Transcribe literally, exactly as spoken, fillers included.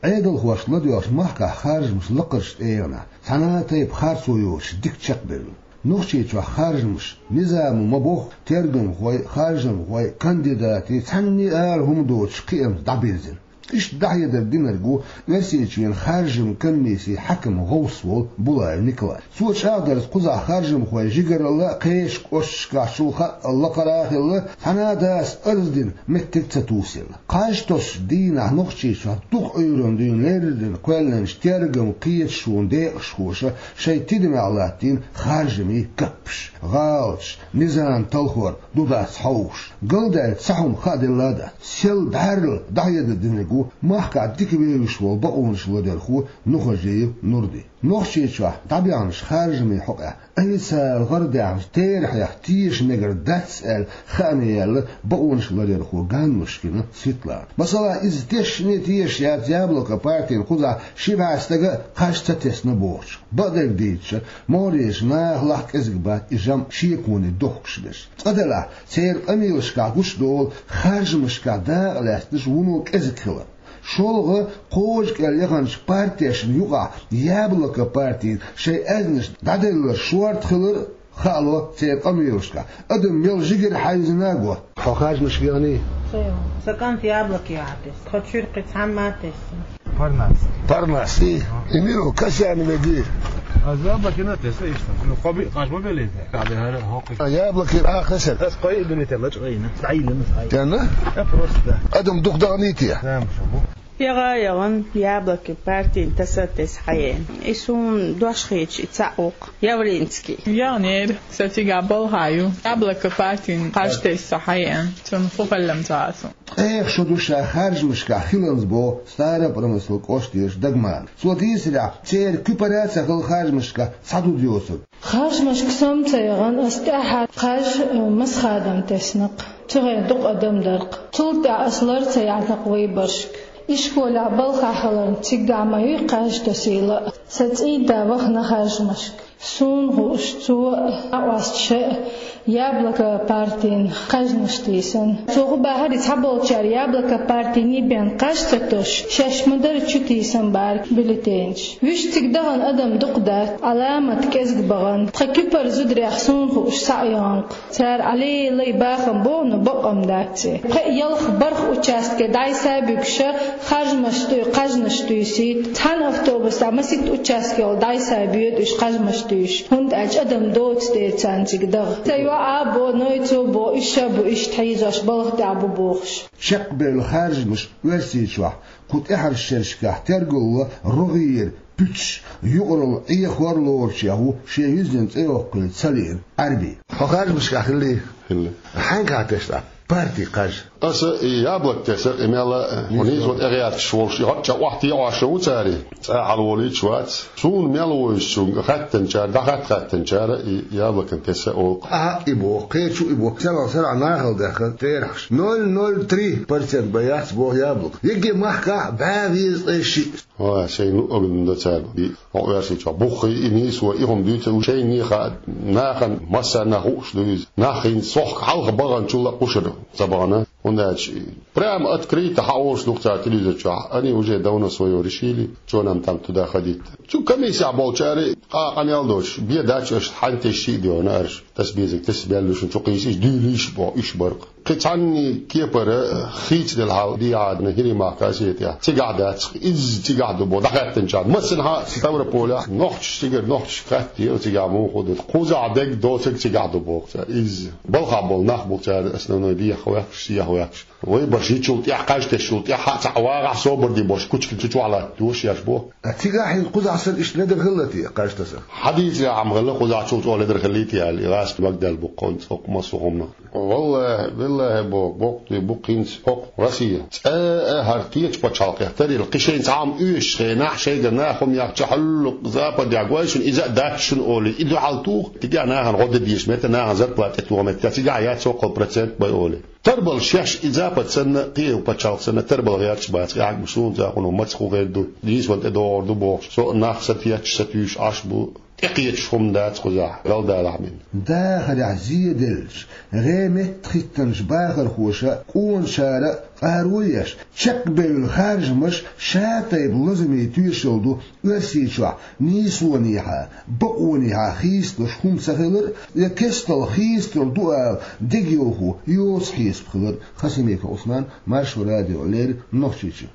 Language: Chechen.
Ӏедалхошка ладоьгӀача махкахь харжамаш лакхарчу тӀегӀанехь цхьана а тайпа харцо йоцуш дика чекхбевлла. Нохчийчохь харжамаш низамо ма-бохху, тергамхой, харжамхой, кандидатий цхьанне а ала хӀума доцуш кхиамца дӀабирзина. Иштта дӀахьедар динарг ву Оьрсийчоьнан харжамийн комиссин хьаькам гӀовс волу Булаев Николай. Цо чӀагӀдарца, кхузахь харжамхойн жигаралла а, кхечу кӀошташкахь чул хаъал лакхара а хилла, цхьана а дас арз дина меттиг ца тосийла. Кхаж тосучу дийнахь Нохчийчохь дукха Ӏуьйранна дуьйна леррина кхоьллинчу тергаман кхеташонан декъашхоша шайн тидамехь латтийна харжамийн каппаш, гӀалаташ, низам талхор ду-дац хьовсуш. Галдаьлла цхьа хӀума хааделла а дац. Сел бӀаьрла дӀахьедар динарг ву махкахь дика вевзаш волу бакъонаш ладоьгӀначу Нухажиев Нурди. Нохчийчохь дӀабаьхначу харжамийн хьокъехь официалан гӀарадаьхначу терахьех теша мегар дац аьлла хаамаш яьлла бакъонаш ладоьгӀначу Ганнушкина Светлана. Масала, иза тешаш а тешаш яц «Яблоко» партина кхузахь ши бӀе стага а кхаж ца тесна бохучух. Бакъдерг дийцича, могӀарерчу нахалахь кӀезиг бац и жамӀ шеконе дохкуш берш. Цкъа делахь, церан къамелашкахь гучудолу харжамашкахь дакъа лаьцнарш вуно кӀезиг хилар. ШолгӀа, кхочушкъел яханчу партешна юкъахь «Яблоко» партина шайн аьзнаш дӀаделларш шорта хилар а хаало церан къамелашкахь. Адам мел жигара хьаьвзина а го. Хьо харжамашка яхний? Сан кӀант «Яблоке» а тесна. Тхо чуьра кхин цхьамма а тесна. Парнас. Парнас, и? И мила ву, Касьяновгий? Аз «Яблоке» а тесна иштта. Ну, кхо биъ кхаж ма беллий те. Кхаби хӀара хӀокху. А, «Яблоке» а хезира. Ас кхо а дуьне тӀе лачкъа йина. ДӀайиллина ас. Тенна? Я просто. Адам дукха даханий те? Тамаша бу. ЯгӀа а яхана, «Яблоке» партина таса а тесна хьаеана. И суна дош хеташ и цхьаъ ву-кх, Явринский. Яханера, сан цигахь балха ю. «Яблоко» партина кхаж тесна со хьаеана. Цунна хӀун хилла ца хаьа суна. Ткъех шо ду ша харжамашкахь хиланза боху Старопромыслан кӀоштарчу Дагмана. Цо дийцарехь, церан куьпара а ца хилла харжамашкахь цхьа зуда йоцург. Харжамашка со-м ца яхана, ас тӀаьххьара кхаж, э, Масхадам тесна-кх. Цу хенахь дукха адам дара-кх. Цул тӀаьхьа ас лар ца яьхьна-кх вайбаршка. Ишколехь балхахь хиларна, цигахь ма юй кхаж тосийла а. Сан цӀийда вахана харжамашка. Суна хууш, цо а, Ӏоста ша а «Яблоко» партина кхажнаш тийсина. Цо хӀун бахьара, и цхьаболчара «Яблоко» партиний бен кхаж ца тосуш, шаьш ма-дарра чу тийсина бара бюллетенаш. Вуьш цига дахана адам дукха дац, Ӏаламат кӀезиг бахана. Тхан куьпара зударех, суна хууш, схьа а яхана-кх. Цара Ӏалелай бахам боху, но бакъ-м дац и. Кхин а ялх-барх участке дӀасабуьгуш, харжамаш тӀе кхажнаш туьйсийта. Цхьана автобусехь масийтта участке йолу дӀасабоьду уьш кхажнаш туьйсуш, хӀунда аьлча адам доцу дела царна цига даха. Сан йоӀа а боху, Нойцо а боху, уьш а бу иштта хьийзош, балха тӀехь бу бохуш. Чекхбевлла харжамаш Оьрсийчохь кху тӀаьххьарчу шерашкахь тергалло рогӀера пуьташ, юкъаралла Ӏехор лоручех ву шен юьззина цӀе йоккхуьйту ца лиъна Ӏаьрби. Хьо харжамашкахь хиллий? Хилла. Хьаьнгахьа тесна парти кхаж? Аса и «Яблоко» тесна, и мел а, хьо нийсо тӀегӀерташ волуш, и хӀоттача охьатаьӀаш ву цара, цкъа а хьалаволуьйтуш вац. Суна мел вуьйцучунга хаьттинчара, дӀахатта хаьттинчара, и «Яблоко» тесна олу-кх. Ахьа и боху, кхечу и боху, сарахь-сарахь нахала даьхна терахьаш. Ноль ноль три процент бен яц боху «Яблоко». Егге махкахь бӀе везткъе шиъ. Ва, шайн луъург дан до цара. И хьо Оьрсийчохь буххий, и нийсо, и хӀума дуьйцу, шайна хаьа, нахана массарна хууш ду иза. Нах хӀинца сохка хьалха баханчул а кхушара ца бахана. ХӀунда аьлча прямо открыто хьаолуш ду-кх цара телевизор чохь. Они уже давно своё решили, чё нам там туда ходить. Цу комиссехь болчара къа-, къамел доцуш, бен дац аша, хьан тесча а доьгӀна аша. Таса безарг таса баьлла шуна, чу кхийса, иза дуьйлийша боху, уьш бара-кх. Кхин цхьанний кепара хийцаделла хьал дийхьадана хӀирийн махка а сетехь. Цигахь дац, изза цигахь ду боху, дӀахаьттинчарна. Массанхьа а Ставрополехь нохчаш, цигара нохчашка хаттийра, цигахь муха ду. Кхузахь дерг доцург цигахь ду боху цара. Изза балхахь болу нах бу цара основной дехьа ваьккхаш, сехьа ваьккхаш. Вайбарш йичул тӀаьхьа, кхаж тесчул тӀаьхьа а цхьа вагӀахь собар де бохуш, кучкан чу чохь латтадеш еш бу. А цигахь хӀинца кхузахь санна иштта ледар хилла те, кхаж таса? Хьадийцарехь ма хилла, кхузахь чул чӀогӀа ледар хиллий те аьлла, и гӀазкхи магаделла бу-кх хӀинца хӀокху массо а хӀуманах. Валлахи, биллахи боху, бакъ дуй бу-кх хӀинца хӀокху Россия. ЦӀа а хӀара кхечу пачхьалкхех тарйина, кхин шайна цхьа хӀума оьшучу хенахь, шайгара наха хӀума яхча, хьуьллу Западехь гой шуна, иза а дац шуна олий, и дуьхьал туху, цигахь нахана гӀо де дезаш метта, нахана зарплата тӀетоха метта, цигахь яц цхьа-кхо процент бай олий. Тарбала шаьш и Запад санна, кхин а пачхьалкх санна, тарбала гӀерташ бац, къаьхьа гуш суна цӀа хӀуна маца хӀун хир ду, дийсван тӀедогӀур ду бохуш, со нах сатеташ, сатуьйсуш Ӏаш бу. тӀекхеташ хӀума дац кхузахь, Далла далахь бина. Дахарехь зеделлачу, гӀе меттахӀиттанчу бахархоша а, къоначара а къаро а еш, чекхбевлла харжамаш ша-тайпа лазаме тоьшалла ду Оьрсийчохь нийсонехьа, бакъонехьа хийцалуш хӀума ца хилар а, я кестта хийцалур ду ала дегайовхо йоцу хьесап хилар а. Хасимиков Ӏусман, Маршо радиона леррина, Нохчийчоь.